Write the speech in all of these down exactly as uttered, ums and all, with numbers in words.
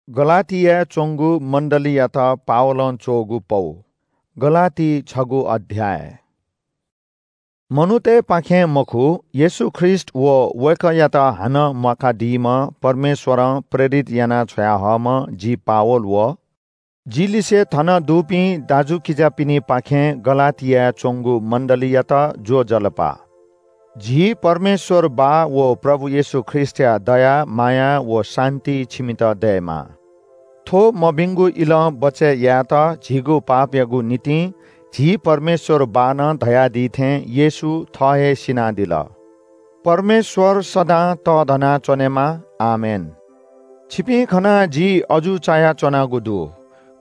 गलातियाय् च्वंगु मण्डलीयात पावलं च्वःगु पौ। गलाती छगू अध्याय। मनूतय्‌पाखें मखु, येशू ख्रीष्ट व वय्‌कःयात हानं म्वाकादीम्ह परमेश्वरं प्रेरित यानाः छ्वयाहःम्ह जि पावल व जि लिसे थन दुपिं दाजुकिजापिनिपाखें गलातियाय् च्वंगु मण्डलीयात ज्वजलपा। झी परमेश्वर बाः व प्रभु येशू ख्रीष्टया दया, माया व शान्ति छिमित दयेमा। थ्व मभिंगु इलं बचय् यायेत झीगु पापयागु निंतिं झी परमेश्वर बाःनं धयादी थें येशू थः हे सिनादिल। परमेश्वर सदां तःधना च्वनेमा। आमेन। छिपिं खनाः जि अजू चायाच्वनागु दु।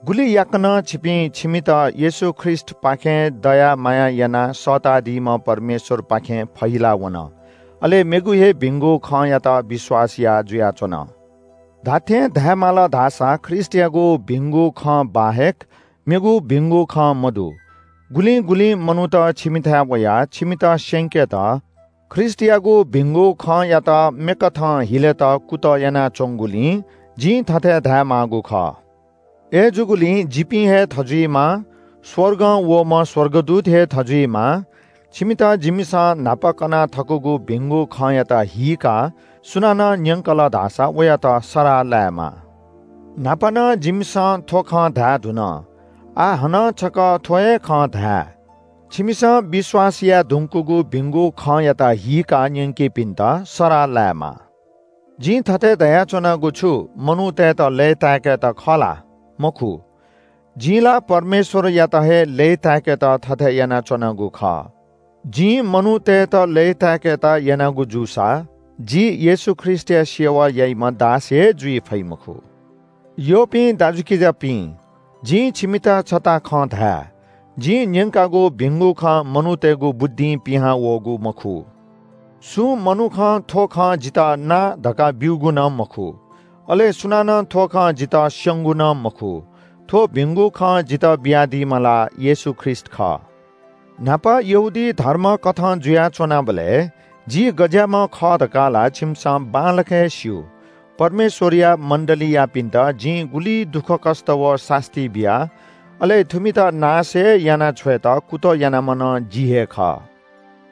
गुलि याकनं छिपिं छिमित येशू ख्रीष्टपाखें दया माया यानाः सःतादीम्ह परमेश्वरपाखें फहिला वन, अले मेगु हे भिंगु खँयात विश्वास याः जुयाच्वन। धात्थें धायेमाल धाःसा ख्रीष्टयागु भिंगु खँ बाहेक मेगु भिंगु खँ मदु। गुलिं गुलिं मनूत छिमिथाय् वयाः छिमित स्यंकेत ख्रीष्टयागु भिंगु खँयात मेकथं हिलेत कुतः यानाच्वंगुलिं जिं थथे धायेमाःगु खः। अय्‌जूगुलिं जिपिं हे थजुइमा, स्वर्गं वःम्ह स्वर्गदूत हे थजुइमा, छिमित जिमिसं न्हापा कना थकूगु भिंगु खँयात हीकाः सुनानं न्यंकल धाःसा वयात सराः लायेमा। न्हापा नं जिमिसं थ्व खँ धाये धुन, आः हानं छकः थ्व हे खँ धाये। छिमिसं विश्वास याये धुंकूगु भिंगु खँयात हीकाः न्यंकीपिन्त सराः लायेमा। जिं थथे धयाच्वनागु छु मनूतय्‌त लय्‌ताय्‌केत खः ला? मखु। जिं ला परमेश्वरयात हे लय्‌ताय्‌केत थथे यानाच्वनागु खः। जिं मनूतय्‌त लय्‌ताय्‌केत यानागु जूसा जि येशू ख्रीष्टया सेवा याइम्ह दास हे जुइ फइ मखु। यःपिं दाजुकिजापिं, जिं छिमित छता खँ धाये। जिं न्यंकागु भिंगु खँ मनूतय्‌गु बुद्धिं पिहां वःगु मखु। सुं मनुखं थ्व खँ जितः ना धकाः ब्यूगु नं मखु, अले सुनानं थ्व खँ जितः स्यंगु नं मखु। थ्व भिंगु खँ जितः बियादीम्ह ला येशू ख्रीष्ट खः। न्हापा यहूदी धर्म कथं जुयाच्वनाबलय् जि गज्याःम्ह खः धकाः ला छिमिसं बांलाक हे स्यू। परमेश्वरया मण्डलीयापिन्त जिं गुलि दुःखकष्ट व सास्ती बिया, अले थुमित नाश हे याना छ्वयेत कुतः यानाम्ह नं जि हे खः।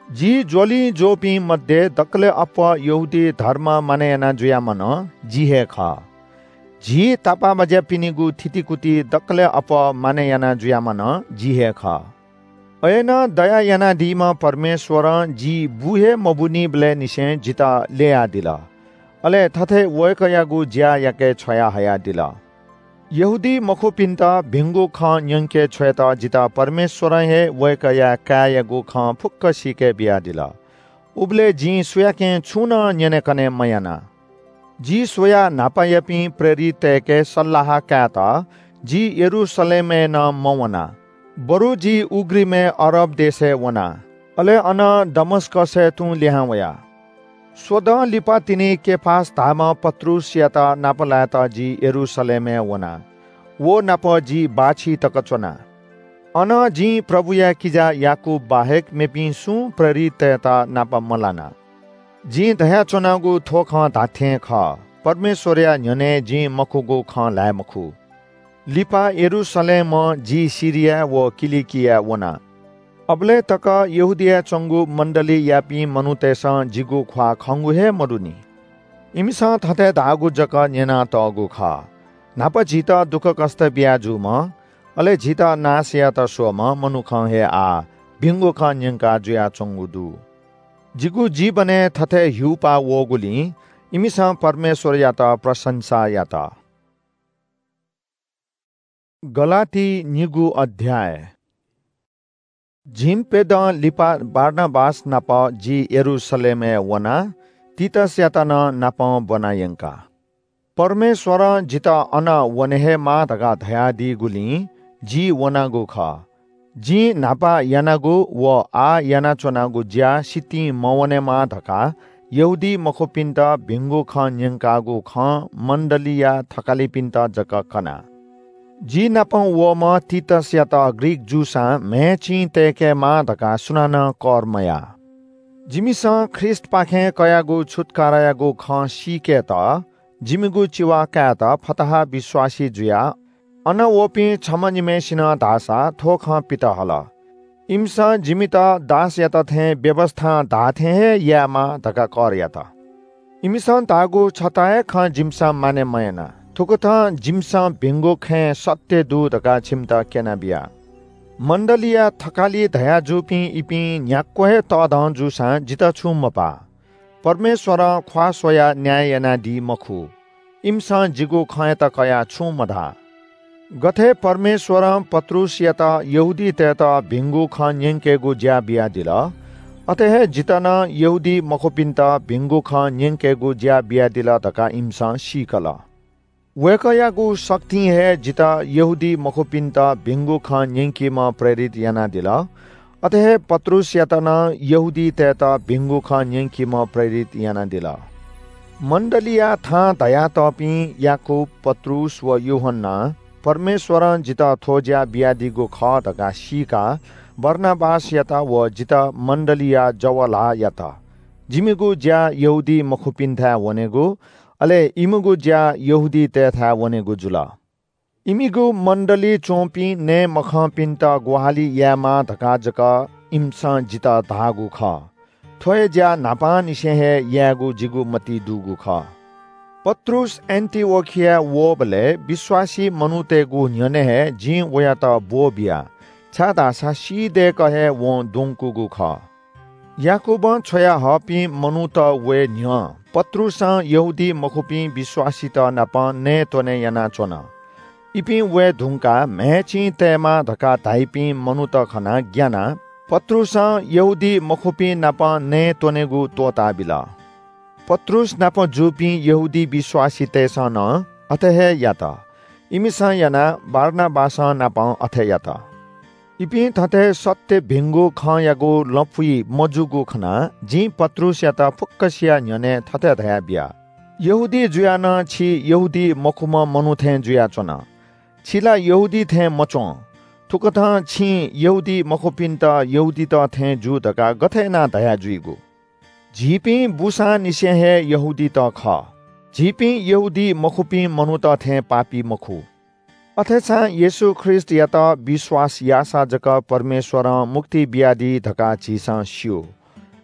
जि ज्वलिं ज्वःपिं मध्ये दकलय् अप्वः यहूदी धर्म मानय् याना जुयाम्ह नं जि हे खः। झी तापाःबाज्यापिनिगु थितिकुति दकलय् अप्वः मानय् याना जुयाम्ह नं जि हे खः। अय्‌नं दया यानादीम्ह परमेश्वरं जि बू हे मबूनिबलय् निसें जितः ल्ययादिल, अले थथे वय्‌कःयागु ज्या याके छ्वयाहयादिल। यहूदी मखुपिन्त भिंगु खँ न्यंके छ्वयेत जितः परमेश्वरं हे वय्‌कःया काय्‌यागु खँ फुक्क सीके बियादिल। उबलय् जिं सुयाकें छुं नं न्यनेकने मयाना। जि स्वयाः न्हापायापिं प्रेरिततय्‌के सल्लाह कायेत जि यरूशलेमय् नं मवना, बरु जि उघ्रिमय् अरब देशय् वना, अले अनं दमस्कसय् तुं लिहां वया। स्वदँ लिपा तिनि केफास धाःम्ह पत्रुसयात नापलायेत जि यरूशलेमय् वना। व नाप जि बाःछि तक च्वना। अनं जिं प्रभुया किजा याकूब बाहेक मेपिं सुं प्रेरिततय्‌त नाप मलाना। जिं धयाच्वनागु थ्व खँ धात्थें खः, परमेश्वरया न्ह्यःने जिं मखुगु खँ ल्हाये मखु। लिपा यरूशलेमं जि सिरियाय् व किलिकियाय् वना। अबलय् तक यहूदियाय् च्वंगु मण्डलीयापिं मनूतय्‌सं जिगु ख्वाः खंगु हे मदुनि। इमिसं थथे धाःगु जक न्यनातःगु खः, न्हापा झीत दुःखकष्ट बिया जूम्ह, अले झीत नाश यायेत स्वःम्ह मनुखं हे आः भिंगु खँ न्यंका जुयाच्वंगु दु। जिगु जीवनय् थथे ह्यूपाः वःगुलिं इमिसं परमेश्वरयात प्रशंसा यात। गलाती निगू अध्याय। झिंप्यदँ लिपा बारनाबास नाप जि यरूशलेमय् वनाः तीतसयात नं नापं ब्वना यंका। परमेश्वरं जितः अन वने हे माः धकाः धयादीगुलिं जि वनागु खः। जिं न्हापा यानागु व आः यानाच्वनागु ज्या सितिं मवनेमा धकाः यहूदी मखुपिन्त भिंगु खँ न्यंकागु खँ मण्डलीया थकालिपिन्त जक कना। जि नाप वःम्ह तीतसयात ग्रीक जूसां म्हय् चिं तय्‌केमाः धकाः सुनानं कर मयाः। जिमिसं ख्रीष्टपाखें कयागु छुत्कारायागु खँ सीकेत जिमिगु चिवा कायेत फतहा विश्वासी जुयाः अन वःपिं छम्ह निम्हय्‌सिनं धाःसा थ्व खँ पित हल। इमिसं जिमित दासयात थें व्‍यवस्‍थां धाःथें हे यायेमाः धकाः कर यात। इमिसं धाःगु छता हे खँ जिमिसं मानय् मयाना। थुकथं जिमिसं भिंगु खँय् सत्‍य दु धकाः छिमित क्‍यनाबिया। मण्‍डलीया थकालि धयाजूपिं इपिं न्‍ह्याक्‍व हे तःधं जूसां जितः छुं मपाः। परमेश्‍वरं ख्‍वाः स्‍वयाः न्‍याय यानादी मखु। इमिसं जिगु खँयात कयाः छुं मधाः। गथे परमेश्‍वरं पत्रुसयात यहूदीतय्‌त भिंगु खँ न्‍यंकेगु ज्‍या बियादिल, अथे हे जितः नं यहूदी मखुपिन्‍त भिंगु खँ न्‍यंकेगु ज्‍या बियादिल धकाः इमिसं सीकल। वय्‌कःयागु शक्तिं हे जितः यहूदी मखुपिन्‍त भिंगु खँ न्‍यंकीम्‍ह प्रेरित यानादिल, अथे हे पत्रुसयात नं यहूदीतय्‌त भिंगु खँ न्‍यंकीम्‍ह प्रेरित यानादिल। मण्‍डलीया थां धयातःपिं याकूब, पत्रुस व यूहन्‍नां परमेश्‍वरं जितः थ्‍व ज्‍या बियादीगु खः धकाः सीकाः बारनाबासयात व जितः मण्‍डलीया जव ल्‍हाः यात। जिमिगु ज्‍या यहूदी मखुपिन्‍थाय् वनेगु, अले इमिगु ज्‍या यहूदीतय्‌थाय् वनेगु जुल। इमिगु मण्‍डलीइ च्‍वंपिं नये मखंपिन्‍त ग्‍वाहालि यायेमाः धकाः जक इमिसं जितः धाःगु खः। थ्‍व हे ज्‍या न्‍हापांनिसें हे यायेगु जिगु मतिइ दुगु खः। पत्रुस एन्‍टिओखियाय् वःबलय् विश्‍वासी मनूतय्‌गु न्‍ह्यःने हे जिं वयात ब्‍वःबिया, छाय्‌धाःसा सी दय्‌क हे वं द्वंकूगु खः। याकूबं छ्वयाहःपिं मनूत वये न्‍ह्यः पत्रुसं यहूदी मखुपिं विश्‍वासीत नाप नयेत्‍वने यानाच्‍वन। इपिं वये धुंकाः म्‍हय् चिं तयेमाः धकाः धाइपिं मनूत खनाः ग्‍यानाः पत्रुसं यहूदी मखुपिं नाप नयेत्‍वनेगु त्‍वःताबिल। पत्रुस नाप जूपिं यहूदी विश्‍वासीतय्‌सं नं अथे हे यात। इमिसं यानाः बारनाबासं नापं अथे यात। इपिं थथे सत्‍य भिंगु खँयागु लँपुइ मजूगु खनाः जिं पत्रुसयात फुक्‍कसिया न्‍ह्यःने थथे धयाबिया, यहूदी जुयाः नं छि यहूदी मखुम्‍ह मनू थें जुयाच्‍वन। छि ला यहूदी थें मच्‍वं। थुकथं छिं यहूदी मखुपिन्‍त यहूदीत थें जू धकाः गथे यानाः धया जुइगु? झीपिं बूसांनिसें हे यहूदीत खः। झीपिं यहूदी मखुपिं मनूत थें पापी मखु। अथेसां येशू ख्रीष्‍टयात विश्‍वास याःसा जक परमेश्‍वरं मुक्ति बियादी धकाः झीसं स्‍यू।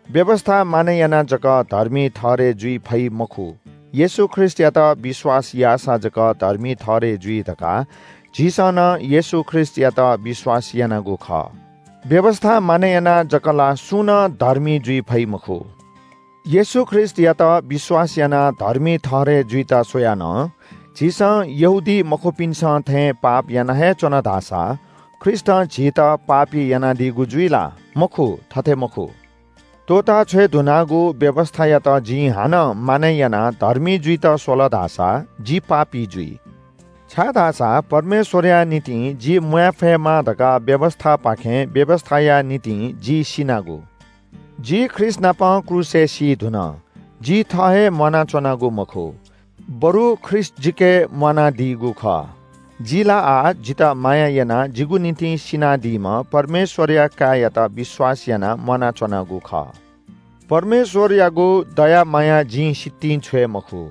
व्‍यवस्‍था मानय् यानाः जक धर्मी ठहरय् जुइ फइ मखु। येशू ख्रीष्‍टयात विश्‍वास याःसा जक धर्मी ठहरय् जुइ धकाः झीसं नं येशू ख्रीष्‍टयात विश्‍वास यानागु खः। व्‍यवस्‍था मानय् यानाः जक ला सुं नं धर्मी जुइ फइ मखु। येशू ख्रीष्‍टयात विश्‍वास यानाः धर्मी ठहरय् जुइत स्‍वयाः नं झीसं यहूदी मखुपिन्‍सं थें पाप याना हे च्‍वन धाःसा ख्रीष्‍टं झीत पापी यानादीगु जुइ ला? मखु, थथे मखु। त्‍वःताछ्वये धुनागु व्‍यवस्‍थायात जिं हानं मानय् यानाः धर्मी जुइत स्‍वल धाःसा जि पापी जुइ। छाय्‌धाःसा परमेश्‍वरया निंतिं जि म्‍वाये फयेमा धकाः व्‍यवस्‍थापाखें व्‍यवस्‍थाया निंतिं जि सिनागु। जि ख्रीष्‍ट नाप क्रूसय् सी धुन। जि थः हे म्‍वानाच्‍वनागु मखु, बरु ख्रीष्‍ट जिके म्‍वानादीगु खः। जि ला आः जितः माया यानाः जिगु निंतिं सिनादीम्‍ह परमेश्‍वरया काय्‌यात विश्‍वास यानाः म्‍वानाच्‍वनागु खः। परमेश्‍वरयागु दया माया जिं सितिं छ्वये मखु।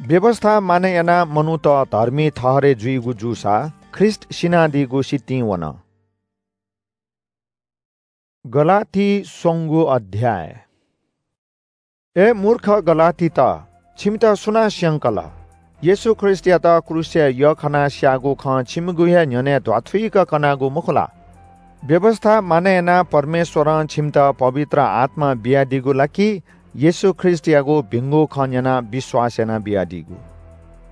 व्‍यवस्‍था मानय् यानाः मनूत धर्मी ठहरय् जुइगु जूसा ख्रीष्‍ट सिनादीगु सितिं वन। गलाती स्वंगू अध्‍याय। ए मूर्ख गलातीत, छिमित सुनां स्‍यंकल? येशू ख्रीष्‍टयात क्रूसय् यःखनाः स्‍याःगु खँ छिमिगु हे न्‍ह्यःने ध्‍वाथुइक कनागु मखु ला? व्‍यवस्‍था मानय् यानाः परमेश्‍वरं छिमित पवित्र आत्‍मा बियादीगु ला कि येशू ख्रीष्‍टयागु भिंगु खँ न्‍यनाः विश्‍वास यानाबियादीगु?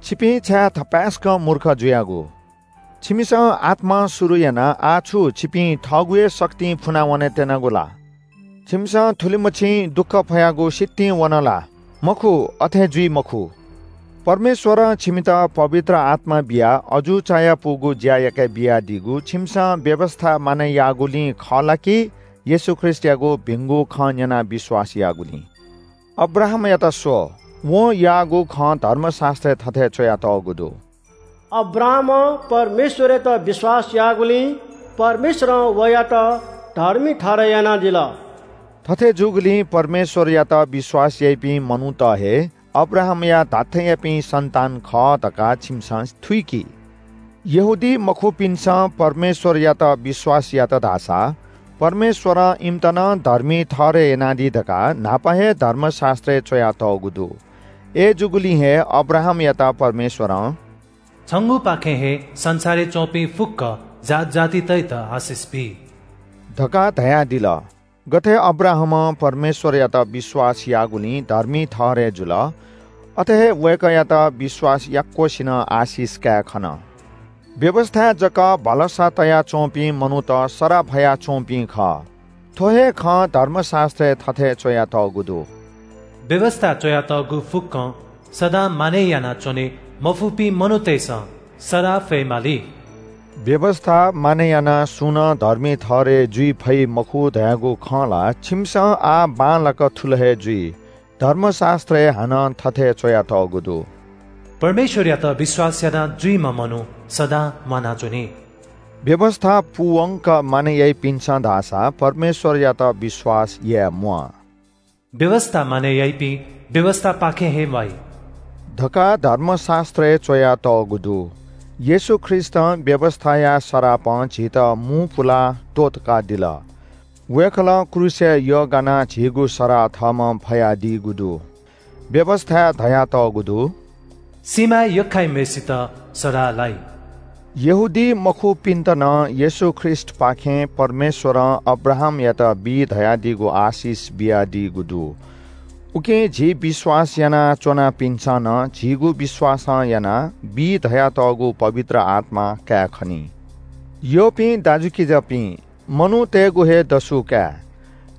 छिपिं छाय् थपाय्‌सकं मूर्ख जुयागु? छिमिसं आत्‍मां शुरु यानाः आः छु छिपिं थःगु हे शक्तिं फुना वने त्यनागु ला? छिमिसं थुलिमछिं दुःख फयागु सितिं वन ला? मखु, अथे जुइ मखु। परमेश्‍वरं छिमित पवित्र आत्‍मा बियाः अजू चायापुगु ज्‍या याके बियादीगु छिमिसं व्‍यवस्‍था मानय् याःगुलिं खः ला कि येशू ख्रीष्‍टयागु भिंगु खँ न्‍यनाः विश्‍वास याःगुलिं? अब्राहामयात स्‍व, वं याःगु खँ धर्मशास्‍त्रय् थथे च्‍वयातःगु दु। अब्राहामं परमेश्‍वरयात विश्‍वास याःगुलिं परमेश्‍वरं वयात धर्मी ठहरय् यानादिल। थथे जूगुलिं परमेश्‍वरयात विश्‍वास याइपिं मनूत हे अब्राहामया धात्थेंयापिं सन्तान खः धकाः छिमिसं थुइकी। यहूदी मखुपिन्सं परमेश्वरयात विश्वास यात धाःसा परमेश्वरं इमित नं धर्मी ठहरय् यानादी धकाः न्हापा हे धर्मशास्त्रय् च्वयातःगु दु। अय्‌जूगुलिं हे अब्राहामयात परमेश्वरं छंगुपाखें हे संसारय् च्वंपिं फुक्क जात जातितय्‌त आशिष बी धकाः धयादिल। गथे अब्राहामं परमेश्वरयात विश्वास याःगुलिं धर्मी ठहरय् जुल, अथे हे वय्‌कःयात विश्वास याक्वसिनं आशिष काये खन। व्‍यवस्‍थाय् जक भलसा तयाच्‍वंपिं मनूत सराप हयाच्‍वंपिं खः। थ्‍व हे खँ धर्मशास्‍त्रय् थथे च्‍वयातःगु दु। व्‍यवस्‍थाय् च्‍वयातःगु फुक्‍कं सदां मानय् यानाच्‍वने मफुपिं मनूतय्‌सं सराप फयेमाली। व्‍यवस्‍था मानय् यानाः सुं नं धर्मी ठहरय् जुइ फइ मखु धयागु खँ ला छिमिसं आः बांलाक थुल हे जुइ। धर्मशास्‍त्रय् हानं थथे च्‍वयातःगु दु। परमेश्‍वरयात विश्‍वास यानाः जुइम्‍ह मनू सदां म्‍वानाच्‍वनी। व्‍यवस्‍था पूवंक मानय् याइपिन्‍सं धाःसा परमेश्‍वरयात विश्‍वास याये म्‍वाः। व्‍यवस्‍था मानय् याइपिं व्‍यवस्‍थापाखें हे म्‍वाइ धकाः धर्मशास्‍त्रय् च्‍वयातःगु दु। येशू ख्रीष्‍टं व्‍यवस्‍थाया सरापं झीत मू पुलाः त्‍वःतकादिल। वय्‌कलं क्रूसय् यःगानाः झीगु सराः थःम्‍हं फयादीगु दु। व्‍यवस्‍थाय् धयातःगु दु, सीमाय् यख्‍खाइम्‍हय्‌सित सराः लाइ। यहूदी मखुपिन्‍त नं येशू ख्रीष्‍टपाखें परमेश्‍वरं अब्राहामयात बी धयादीगु आशिष बियादीगु दु। उकिं झी विश्‍वास यानाच्‍वनापिन्‍सं नं झीगु विश्‍वासं यानाः बी धयातःगु पवित्र आत्‍मा काये खनी। यःपिं दाजुकिजापिं, मनूतय्‌गु हे दसु काये।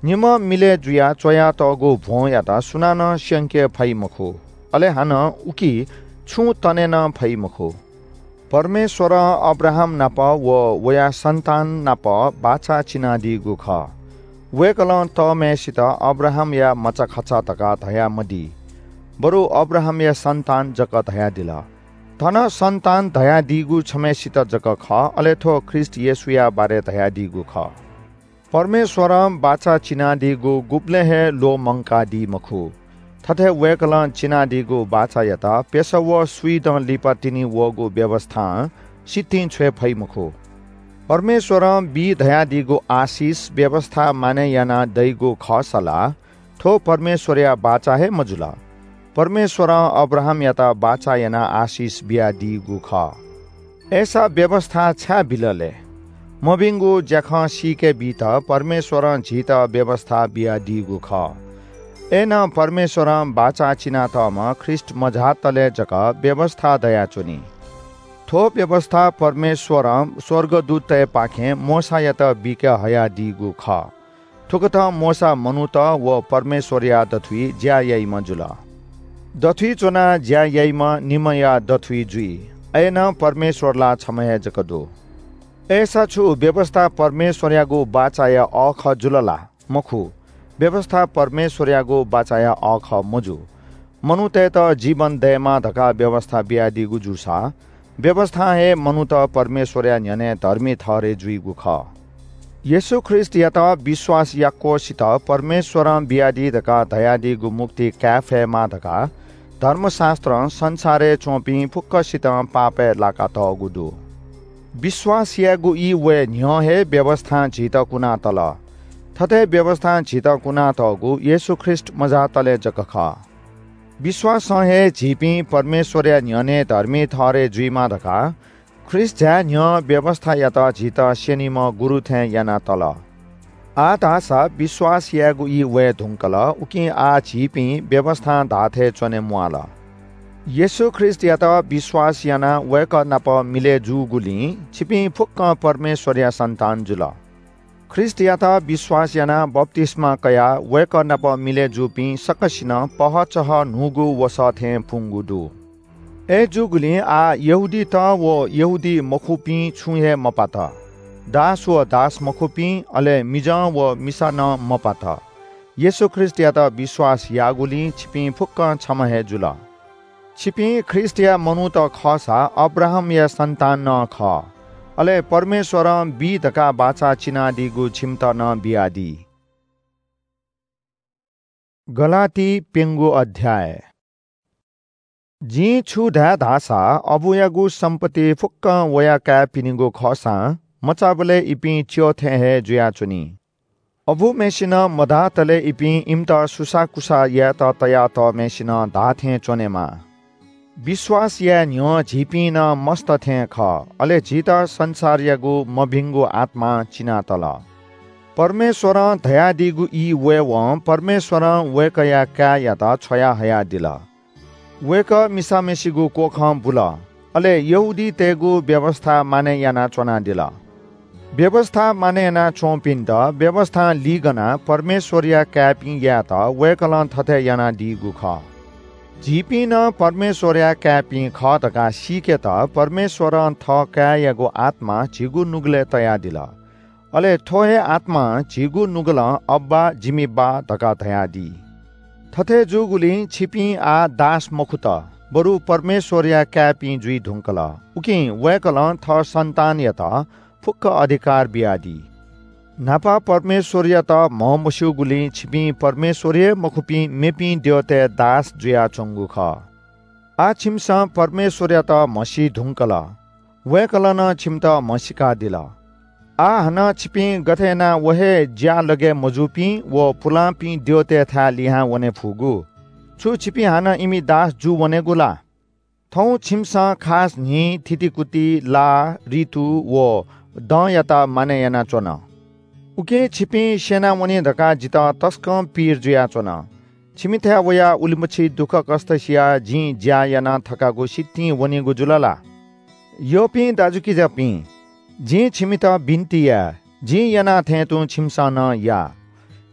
निम्‍ह मिलय् जुयाः च्‍वयातःगु भ्‍वंयात सुनानं स्‍यंके फइ मखु, अले हानं उकी छुं तने नं फइ मखु। परमेश्‍वरं अब्राहाम नाप व वया सन्‍तान नाप बाचा चिनादीगु खः। वय्‌कलं तःम्‍हय्‌सित अब्राहामया मचाखचा धकाः धयामदी, बरु अब्राहामया सन्‍तान जक धयादिल। थन सन्‍तान धयादीगु छम्‍हय्‌सित जक खः, अले थ्‍व ख्रीष्‍ट येशूया बारे धयादीगु खः। परमेश्‍वरं बाचा चिनादीगु गुबलें हे ल्‍वःमंकादी मखु। थथे वय्‌कलं चिनादीगु बाचायात प्‍यसः व स्‍वीदँ लिपा तिनि वःगु व्‍यवस्‍थां सितिं छ्वये फइ मखु। परमेश्‍वरं बी धयादीगु आशिष व्‍यवस्‍था मानय् यानाः दइगु खःसा ला थ्‍व परमेश्‍वरया बाचा हे मजुल। परमेश्‍वरं अब्राहामयात बाचा यानाः आशिष बियादीगु खः। अय्‌सा व्‍यवस्‍था छाय् बिल ले? मभिंगु ज्‍याखँ सीके बीत परमेश्‍वरं झीत व्‍यवस्‍था बियादीगु खः। अय्‌नं परमेश्‍वरं बाचा चिनातःम्‍ह ख्रीष्‍ट मझातले जक व्‍यवस्‍था दयाच्‍वनी। थ्‍व व्‍यवस्‍था परमेश्‍वरं स्‍वर्गदूततय्‌पाखें मोशायात बिके हयादीगु खः। थुकथं मोशा मनूत व परमेश्‍वरया दथुइ ज्‍या याइम्‍ह जुल। दथुइ च्‍वनाः ज्‍या याइम्‍ह निम्‍हया दथुइ जुइ, अय्‌नं परमेश्‍वर ला छम्‍ह हे जक दु। अय्‌सा छु व्‍यवस्‍था परमेश्‍वरयागु बाचाया अःखः जुल ला? मखु, व्‍यवस्‍था परमेश्‍वरयागु बाचाया अःखः मजू। मनूतय्‌त जीवन दयेमा धकाः व्‍यवस्‍था बियादीगु जूसा, व्‍यवस्‍थां हे मनूत परमेश्‍वरया न्‍ह्यःने धर्मी ठहरय् जुइगु खः। येशू ख्रीष्‍टयात विश्‍वास याक्‍वसित परमेश्‍वरं बियादी धकाः धयादीगु मुक्ति काये फयेमा धकाः धर्मशास्‍त्रं संसारय् च्‍वंपिं फुक्‍कसितं पापय् लाकातःगु दु। विश्‍वास यायेगु ई वये न्‍ह्यः हे व्‍यवस्‍थां झीत कुनातल। थथे व्‍यवस्‍थां झीत कुनातःगु येशू ख्रीष्‍ट मझातले जक खः। विश्‍वासं हे झीपिं परमेश्‍वरया न्‍ह्यःने धर्मी ठहरय् जुइमा धकाः ख्रीष्‍ट झाये न्‍ह्यः व्‍यवस्‍थायात झीत स्‍यनीम्‍ह गुरु थें यानातल। आः धाःसा विश्‍वास यायेगु ई वये धुंकल, उकिं आः झीपिं व्‍यवस्‍थां धाःथें च्‍वने म्‍वाःल। येशू ख्रीष्‍टयात विश्‍वास यानाः वय्‌कः नाप मिलय् जूगुलिं छिपिं फुक्‍कं परमेश्‍वरया सन्‍तान जुल। ख्रीष्‍टयात विश्‍वास यानाः बप्‍तिस्‍मा कयाः वय्‌कः नाप मिलय् जूपिं सकसिनं पहःचहः न्‍हूगु वसः थें पुंगु दु। अय्‌जूगुलिं आः यहूदीत व यहूदी मखुपिं छुं हे मपात। दास व दास मखुपिं, अले मिजं व मिसा नं मपात। येशू ख्रीष्‍टयात विश्‍वास याःगुलिं छिपिं फुक्‍कं छम्‍ह हे जुल। छिपिं ख्रीष्‍टया मनूत खःसा अब्राहामया सन्‍तान नं खः। अले परमेश्‍वरं बी धकाः बाचा चिनादीगु छिमित नं बियादी। गलाती प्‍यंगू अध्‍याय। जिं छु धाये धाःसा, अबुयागु सम्पत्ति फुक्कं वया काय्‌पिनिगु खःसां, मचाबलय् इपिं च्यः थें हे जुयाच्वनी। अबुम्हय्‌सिनं मधातले इपिं इमित सुसाःकुसाः यायेत तयातःम्हय्‌सिनं धाःथें च्वनेमाः। विश्वास याये न्ह्यः झीपिं नं मस्त थें खः, अले झीत संसारयागु मभिंगु आत्मां चिनातल। परमेश्वरं धयादीगु ई वयेवं परमेश्वरं वय्‌कःया काय्‌यात छ्वयाहयादिल। वय्‌कः मिसाम्हय्‌सिगु क्वखं बुल, अले यहूदीतय्‌गु व्‍यवस्‍था मानय् यानाच्‍वनादिल। व्‍यवस्‍था मानय् यानाच्‍वंपिन्‍त व्‍यवस्‍थां लिगनाः परमेश्‍वरया काय्‌पिं यायेत वय्‌कलं थथे यानादीगु खः। झीपिं नं परमेश्‍वरया काय्‌पिं खः धकाः सीकेत परमेश्‍वरं थः काय्‌यागु आत्‍मा झीगु नुगलय् तयादिल। अले थ्‍व हे आत्‍मां झीगु नुगलं अब्‍बा, जिमि बाः धकाः धयादी। थथे जूगुलिं छिपिं आः दास मखुत, बरु परमेश्‍वरया काय्‌पिं जुइ धुंकल। उकिं वय्‌कलं थः सन्‍तानयात फुक्‍क अधिकार बियादी। न्‍हापा परमेश्‍वरयात म्हमस्‍यूगुलिं छिपिं परमेश्‍वर हे मखुपिं मेपिं द्यःतय् दास जुयाच्‍वंगु खः। आः छिमिसं परमेश्‍वरयात म्हसी धुंकल। वय्‌कलं नं छिमित म्हसीकादिल। आः हानं छिपिं गथे यानाः व हे ज्‍यालगय् मजूपिं व पुलांपिं द्यःतय्‌थाय् लिहां वने फुगु? छु छिपिं हानं इमि दास जू वनेगु ला? थौं छिमिसं खास न्‍हि, थितिकुति, ला, ऋतु व दँयात मानय् यानाच्‍वन। उकिं छिपिं स्‍यनावनी धकाः जितः तसकं पीर जुयाच्‍वन। छिमिथाय् वयाः उलिमछि दुःखकष्‍ट सियाः जिं ज्‍या याना थकागु सितिं वनीगु जुल ला? यःपिं दाजुकिजापिं, जिं छिमित बिन्‍ति याये, जिं याना थें तुं छिमिसं नं या।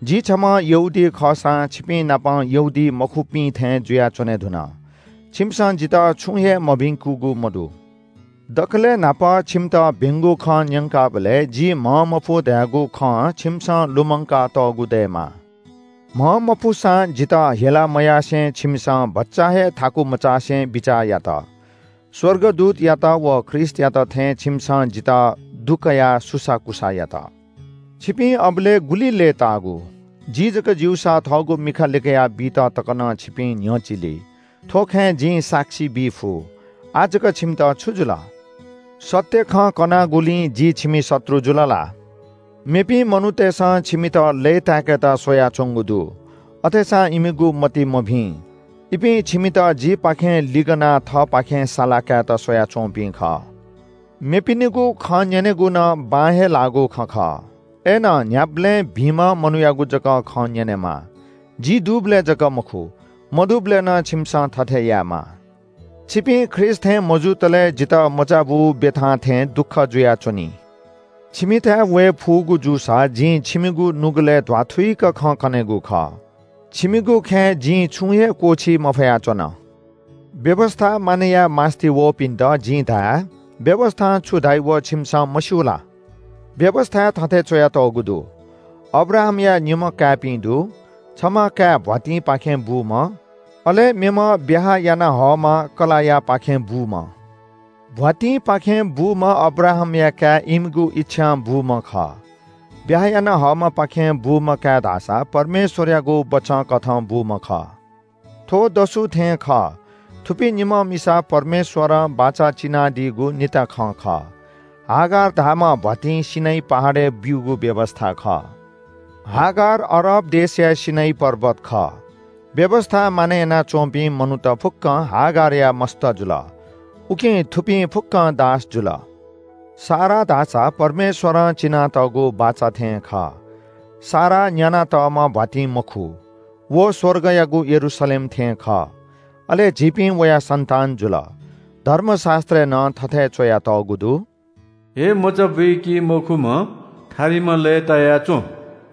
जि छम्‍ह यहूदी खःसां छिपिं नाप यहूदी मखुपिं थें जुयाच्‍वने धुन। छिमिसं जितः छुं हे मभिंकूगु मदु। दकलय् न्‍हापा छिमित भिंगु खँ न्‍यंकाबलय् जि म्‍हंमफु धयागु खँ छिमिसं लुमंका तःगु दयेमाः। म्‍हंमफुसां जितः हेला मयासें छिमिसं भचा हे थाकु मचासे बिचाः यात। स्‍वर्गदूतयात व ख्रीष्‍टयात थें छिमिसं जितः दुकयाः सुसाःकुसाः यात। छिपिं अबलय् गुलि लय्‌ताःगु? जि जक ज्‍यूसा थःगु मिखा लिकयाः बीत तक नं छिपिं न्‍ह्यचिली। थ्‍व खँय् जिं साक्षी बी फु। आः जक छिमित छु जुल? सत्‍य खँ कनागुलिं जि छिमि शत्रु जुल ला? मेपिं मनूतय्‌सं छिमित लय्‌ताय्‌केत स्‍वयाच्‍वंगु दु। अथेसां इमिगु मति मभिं। इपिं छिमित जिपाखें लिगनाः थःपाखें साला कायेत स्‍वयाच्‍वंपिं खः। मेपिनिगु खँ न्‍यनेगु नं बां हे लाःगु खँ खः। अय्‌नं न्‍ह्याबलें भिंम्‍ह मनूयागु जक खँ न्‍यनेमाः। जि दुबलय् जक मखु, मदुबलय् नं छिमिसं थथे यायेमाः। छिपिं ख्रीष्‍ट थें मजूतले जितः मचाबू ब्‍यथां थें दुःख जुयाच्‍वनी। छिमिथाय् वये फुगु जूसा जिं छिमिगु नुगलय् ध्‍वाथुइक खँ कनेगु खः। छिमिगु खँय् जिं छुं हे क्‍वःछी मफयाच्‍वन। व्‍यवस्‍था मानय् याये मास्‍ति वःपिन्‍त जिं धाये, व्‍यवस्‍थां छु धाइ व छिमिसं मस्‍यू ला? व्‍यवस्‍थाय् थथे च्‍वयातःगु दु, अब्राहामया निम्‍ह काय्‌पिं दु, छम्‍ह काय् भ्‍वातिंपाखें बूम्‍ह, अले मेम्‍ह ब्‍याहा याना हःम्‍ह कलाःयापाखें बूम्‍ह। भ्‍वातिंपाखें बूम्‍ह अब्राहामया काय् इमिगु इच्‍छां बूम्‍ह खः। ब्‍याहा याना हःम्‍हपाखें बूम्‍ह काय् धाःसा परमेश्‍वरयागु बचंकथं बूम्‍ह खः। थ्‍व दसु थें खः। थुपिं निम्‍ह मिसा परमेश्‍वरं बाचा चिनादीगु निता खँ खः। हागार धाःम्‍ह भ्‍वातिं सिनै पहाडय् ब्‍यूगु व्‍यवस्‍था खः। हागार अरब देशया सिनै पर्वत खः। व्‍यवस्‍था मानय् यानाच्‍वंपिं मनूत फुक्‍कं हागारया मस्त जुल। उकिं थुपिं फुक्‍कं दास जुल। सारा धाःसा परमेश्‍वरं चिनातःगु बाचा थें खः। सारा न्‍यानातःम्‍ह भ्‍वातिं मखु। व स्‍वर्गयागु यरूशलेम थें खः। अले झीपिं वया सन्‍तान जुल। धर्मशास्‍त्रय् नं थथे च्‍वयातःगु दु, हे मचा बुइकी मखुम्‍ह थारिम्‍ह लय्‌ताया च्‍वँ।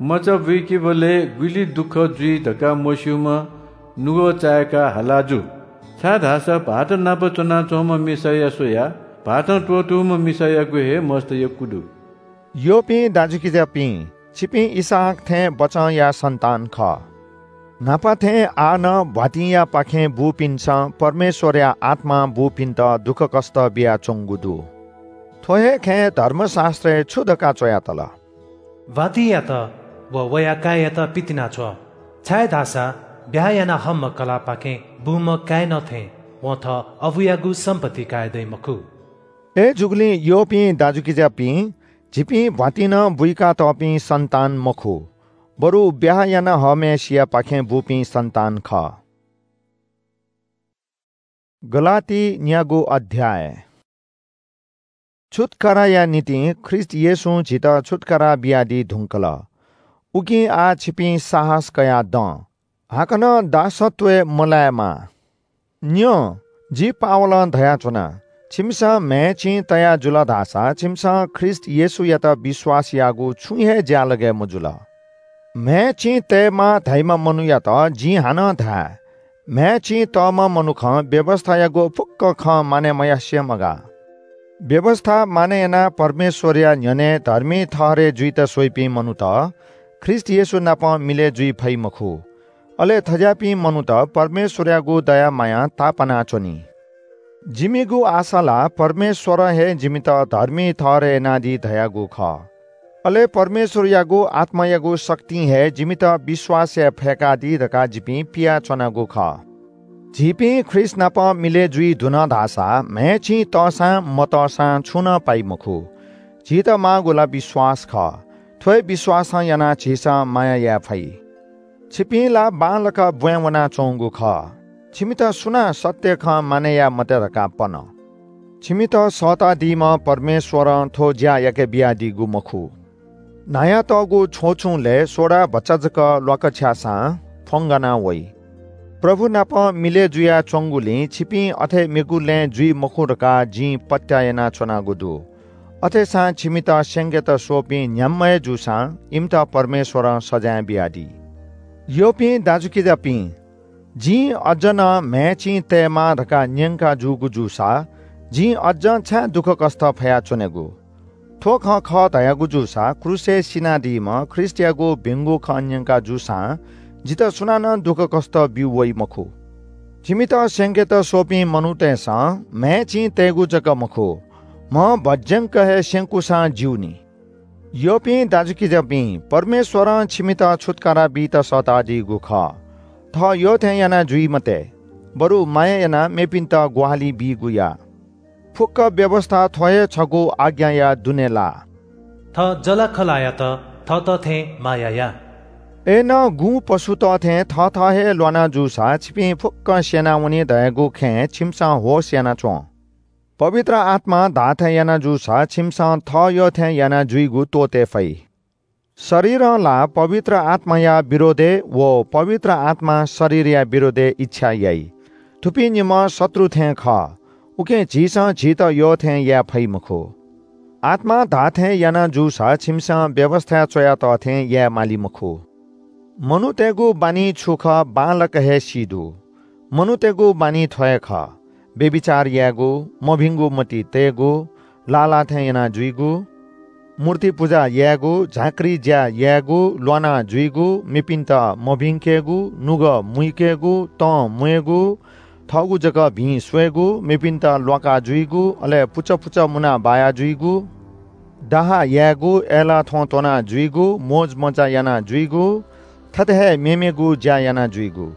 मचा बुइकीबलय् गुलि दुःख जुइ धकाः मस्‍यूम्‍ह नुगः चाय्‌काः हाला जु। छाय्‌धाःसा भाःत नाप च्‍वनाच्‍वंम्‍ह मिसाया स्‍वयाः भाःतं त्‍वःतूम्‍ह मिसायागु हे मस्त यक्‍व दु। यःपिं दाजुकिजापिं, छिपिं इसहाक थें बचंया सन्‍तान खः। न्‍हापा थें आः नं भ्‍वातिंयापाखें बूपिन्‍सं परमेश्‍वरया आत्‍मां बूपिन्‍त दुःखकष्‍ट बियाच्‍वंगु दु। थ्‍व हे खँय् धर्मशास्‍त्रय् छु धकाः च्‍वयातल? भ्‍वातिंयात व वया काय्‌यात पितिनाछ्व, छाय्‌धाःसा ब्‍याहा याना हःम्‍ह कलाःपाखें बूम्‍ह काय् नं थें वं थः अबुयागु सम्पत्ति काये दइ मखु। अय्‌जूगुलिं यःपिं दाजुकिजापिं, झीपिं भ्वातिं नं बुइकातःपिं सन्तान मखु, बरु ब्याहा याना हःम्हय्‌सियापाखें बूपिं सन्तान खः। गलाती न्यागू अध्याय। छुत्काराया निंतिं ख्रीष्ट येशूं झीत छुत्कारा बियादी धुंकल। उकिं आः छिपिं साहस कयाः दँ। हाकनं दासत्वय् मलायेमा। न्यँ, जि पावलं धयाच्वना, छिमिसं म्हय् चिं तया जुल धाःसा छिमिसं ख्रीष्ट येशूयात विश्वास याःगु छुं हे ज्‍यालगय् मजुल। म्हय् चिं तयेमाः धाइम्‍ह मनूयात जिं हानं धाये, म्हय् चिं तःम्‍ह मनुखं व्‍यवस्‍थायागु फुक्‍क खँ मानय् मयासें मगाः। व्‍यवस्‍था मानय् यानाः परमेश्‍वरया न्‍ह्यःने धर्मी ठहरय् जुइत स्‍वइपिं मनूत ख्रीष्‍ट येशू नाप मिलय् जुइ फइ मखु। अले थज्‍याःपिं मनूत परमेश्‍वरयागु दया मायां तापाना च्‍वनी। जिमिगु आशा ला परमेश्‍वरं हे जिमित धर्मी ठहरय् यानादी धयागु खः। अले परमेश्‍वरयागु आत्‍मायागु शक्तिं हे जिमित विश्‍वासय् फय्‌कादी धकाः जिपिं पियाच्‍वनागु खः। झीपिं ख्रीष्‍ट नाप मिलय् जुइ धुन धाःसा म्‍हय् चिं तःसां मतःसां छुं नं पाइ मखु। झीत माःगु ला विश्‍वास खः। थ्‍व हे विश्‍वासं यानाः झीसं माया याये फइ। छिपिं ला बांलाक ब्‍वाँय् वनाच्‍वंगु खः। छिमित सुनां सत्‍य खँ मानय् याये मते धकाः पन। छिमित सःतादीम्‍ह परमेश्‍वरं थ्‍व ज्‍या याके बियादीगु मखु। न्‍हायातःगु छ्वछुंलय् सोडा भचा जक ल्‍वाकछ्याःसां फ्‍वंगाना वइ। प्रभु नाप मिलय् जुयाच्‍वंगुलिं छिपिं अथे मेगु लँय् जुइ मखु धकाः जिं पत्‍याः यानाच्‍वनागु दु। अथेसां छिमित स्‍यंकेत स्‍वःपिं न्‍ह्याम्‍ह हे जूसां इमित परमेश्‍वरं सजाँय बियादी। यःपिं दाजुकिजापिं, जिं अज्‍ज नं म्‍हय् चिं तयेमाः धकाः न्‍यंका जूगु जूसा जिं अज्‍जं छाय् दुःखकष्‍ट फयाच्‍वनेगु? थ्‍व खँ खः धयागु जूसा क्रूसय् सिनादीम्‍ह ख्रीष्‍टयागु भिंगु खँ न्‍यंका जूसां जितः सुनानं दुःखकष्‍ट ब्‍यू वइ मखु। जिमित स्‍यंकेत स्‍वःपिं मनूतय्‌सं म्‍हय् चिं तयेगु जक मखु, म्‍ह भज्‍यंक हे स्‍यंकूसां ज्‍यू नि। यःपिं दाजुकिजापिं, परमेश्‍वरं छिमित छुत्‍कारा बीत सःतादीगु खः। थः यःथें याना जुइ मते, बरु माया यानाः मेपिन्‍त ग्‍वाहालि बीगु या। फुक्‍क व्‍यवस्‍था थ्‍व हे छगू आज्ञाया दुने लाः। थः जःलाखःलायात थःत थें माया या। अय्‌नं गुँ पशुत थें थःथः हे ल्‍वाना जूसा छिपिं फुक्‍कं स्‍यनावनी धयागु खँय् छिमिसं होश याना च्‍वँ। पवित्र आत्‍मां धाःथें याना जूसा छिमिसं थः यःथें याना जुइगु त्‍वःते फइ। शरीरं ला पवित्र आत्‍माया विरोधय् व पवित्र आत्‍मां शरीरया विरोधय् इच्छा याइ। थुपिं निम्‍ह शत्रु थें खः। उकिं झीसं झीत यःथें याये फइ मखु। आत्‍मां धाःथें याना जूसा छिमिसं व्‍यवस्‍थाय् च्‍वयातःथें याये माली मखु। मनूतय्‌गु बानी छु खः बांलाक हे सी दु। मनूतय्‌गु बानी थ्‍व हे खः – व्‍यभिचार यायेगु, मभिंगु मति तयेगु, लाःलाःथें याना जुइगु, मूर्ति पुजा यायेगु, झाँक्री ज्‍या यायेगु, ल्‍वाना जुइगु, मेपिन्‍त मभिंकेगु, नुगः मुइकेगु, तं म्‍वयेगु, थःगु जक भिं स्वयेगु, मेपिन्‍त ल्‍वाका जुइगु, अले पुचः पुचः मुना बाया जुइगु, डाहा यायेगु, अय्‌लाः थ्‍वँ त्‍वना जुइगु, मोजमज्‍जा याना जुइगु, थथे हे मेमेगु ज्‍या याना जुइगु।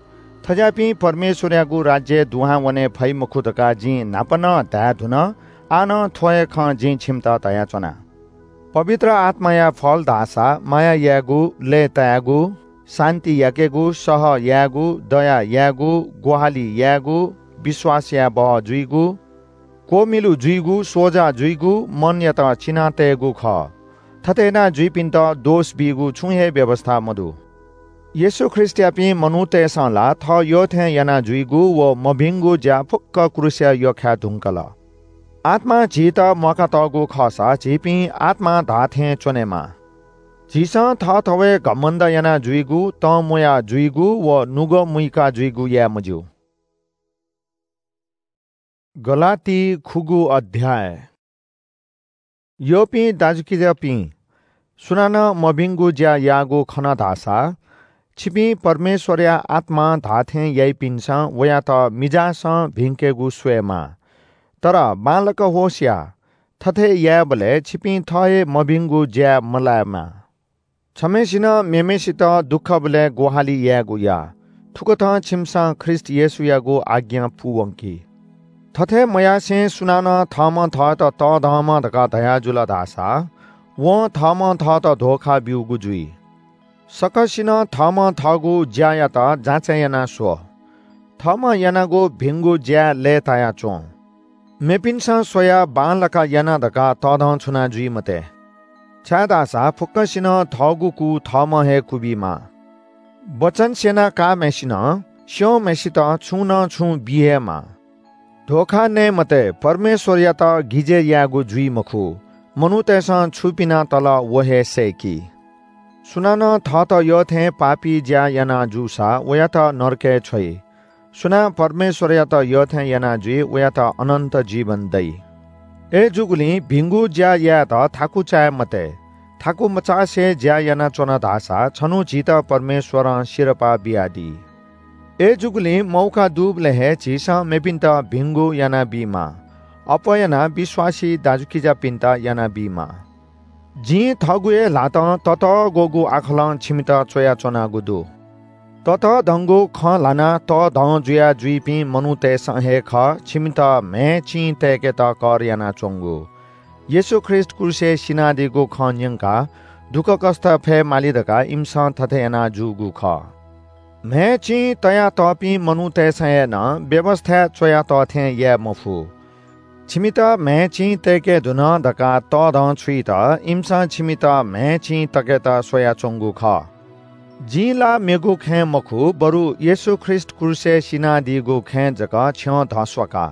थज्‍याःपिं परमेश्‍वरयागु राज्‍यय् दुहां वने फइ मखु धकाः जिं न्‍हापा नं धाये धुन, आः नं थ्‍व हे खँ जिं छिमित धयाच्‍वना। पवित्र आत्‍माया फल धाःसा माया यायेगु, लय्‌तायेगु, शान्‍ति याकेगु, सह यायेगु, दया यायेगु, ग्‍वाहालि यायेगु, विश्‍वास याये बहः जुइगु, क्‍वमिलु जुइगु, सोजा जुइगु, मनयात चिना तयेगु खः। थथे याना जुइपिन्‍त दोष बीगु छुं हे व्‍यवस्‍था मदु। येशू ख्रीष्‍टयापिं मनूतय्‌सं ला थः यःथें याना जुइगु व मभिंगु ज्‍या फुक्‍क क्रूसय् यख्‍खाये धुंकल। आत्‍मां झीत म्‍वाकातःगु खःसा झीपिं आत्‍मां धाःथें च्‍वनेमाः। झीसं थःथवय् घमण्‍ड याना जुइगु, तं म्‍वया जुइगु व नुगः मुइका जुइगु याये मज्‍यू। गलाती खुगू अध्‍याय। यःपिं दाजुकिजापिं, सुनानं मभिंगु ज्‍या याःगु खन धाःसा, छिपिं परमेश्‍वरया आत्‍मां धाःथें याइपिन्‍सं वयात मिजासं भिंकेगु स्वयेमाः। तर बांलाक होश या, थथे यायेबलय् छिपिं थः हे मभिंगु ज्‍याय् मलायेमा। छम्‍हय्‌सिनं मेम्‍हय्‌सित दुःखबलय् ग्‍वाहालि यायेगु या। थुकथं छिमिसं ख्रीष्‍ट येशूयागु आज्ञा पूवंकी। थथे मयासें सुनानं थःम्हं थःत तःधंम्ह धकाः धयाजुल धाःसा, वं थःम्हं थःत धोखा ब्यूगु जुइ। सकसिनं थःम्हं थःगु ज्यायात जाँचय् यानाः स्व। थःम्हं यानागु भिंगु ज्याय् लय्ताया च्वँ। मेपिन्सं स्वयाः बांलाक याना धकाः तःधंछुना जुइ मते। छाय्धाःसा फुक्कसिनं थःगु कू थःम्हं हे क्वबीमाः। वचन स्यना काःम्हय्सिनं स्यंम्हय्सित छुं नं छुं बी हे माः। धोखा नये मते, परमेश्वरयात गिजय् यायेगु जुइ मखु। मनूतय्सं छु पिना तल व हे सय्की। सुनानं थःत यःथें पापी ज्या याना जूसा वयात नरकय् छ्वइ। सुनां परमेश्वरयात यःथें याना जुइ, वयात अनन्त जीवन दइ। अय्जूगुलिं भिंगु ज्या यायेत थाकु चाये मते। थाकु मचासे ज्या यानाच्वन धाःसा छन्हु झीत परमेश्वरं सिरपाः बियादी। अय्जूगुलिं मौका दुबलय् हे झीसं मेपिन्त भिंगु यानाबीमाः। अप्वः यानाः विश्वासी दाजुकिजापिन्त यानाबीमाः। जिं थःगु हे ल्हातं ततःग्वःगु आखलं छिमित च्वयाच्वनागु दु। ततःधंगु खँ ल्हानाः तःधं जुया जुइपिं मनूतय्सं हे खः छिमित म्हय् चिं तय्केत कर यानाच्वंगु। येशू ख्रीष्ट क्रूसय् सिनादीगु खँ न्यंकाः दुःखकष्ट फये माली धकाः इमिसं थथे याना जूगु खः। म्हय् चिं तयातःपिं मनूतय्सं हे नं व्‍यवस्‍थाय् च्‍वयातः थें याये मफु। छिमित म्हय् चिं तय्‌के धुन धकाः तःधं छुइत इमिसं छिमित म्हय् चिं तकेत स्‍वयाच्‍वंगु खः। जिं ला मेगु खँय् मखु, बरु येशू ख्रीष्‍ट क्रूसय् सिनादीगु खँय् जक छ्यं धस्‍वाका।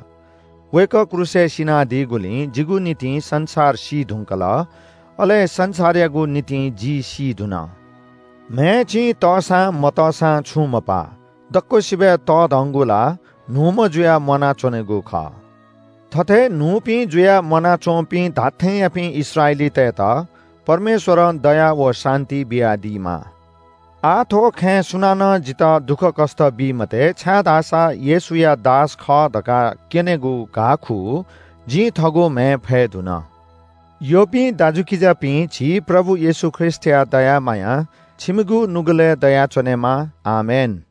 वय्‌कः क्रूसय् सिनादीगुलिं जिगु निंतिं संसार सी धुंकल, अले संसारयागु निंतिं जि सी धुन। म्हय् चिं तःसां मतःसां छुं मपाः। दक्‍वसिबय् तःधंगु ला न्‍हूम्‍ह जुयाः म्‍वानाच्‍वनेगु खः। थथे न्‍हूपिं जुयाः म्‍वानाच्‍वंपिं धात्‍थेंयापिं इस्राएलीतय्‌त परमेश्‍वरं दया व शान्‍ति बियादीमा। आः थ्‍व खँय् सुनानं जितः दुःखकष्‍ट बी मते, छाय्‌धाःसा येशूया दास खः धकाः क्‍यनेगु घाःखू जिं थःगु म्‍हय् फये धुन। यःपिं दाजुकिजापिं, झी प्रभु येशू ख्रीष्‍टया दया माया छिमिगु नुगलय् दयाच्‍वनेमा। आमेन।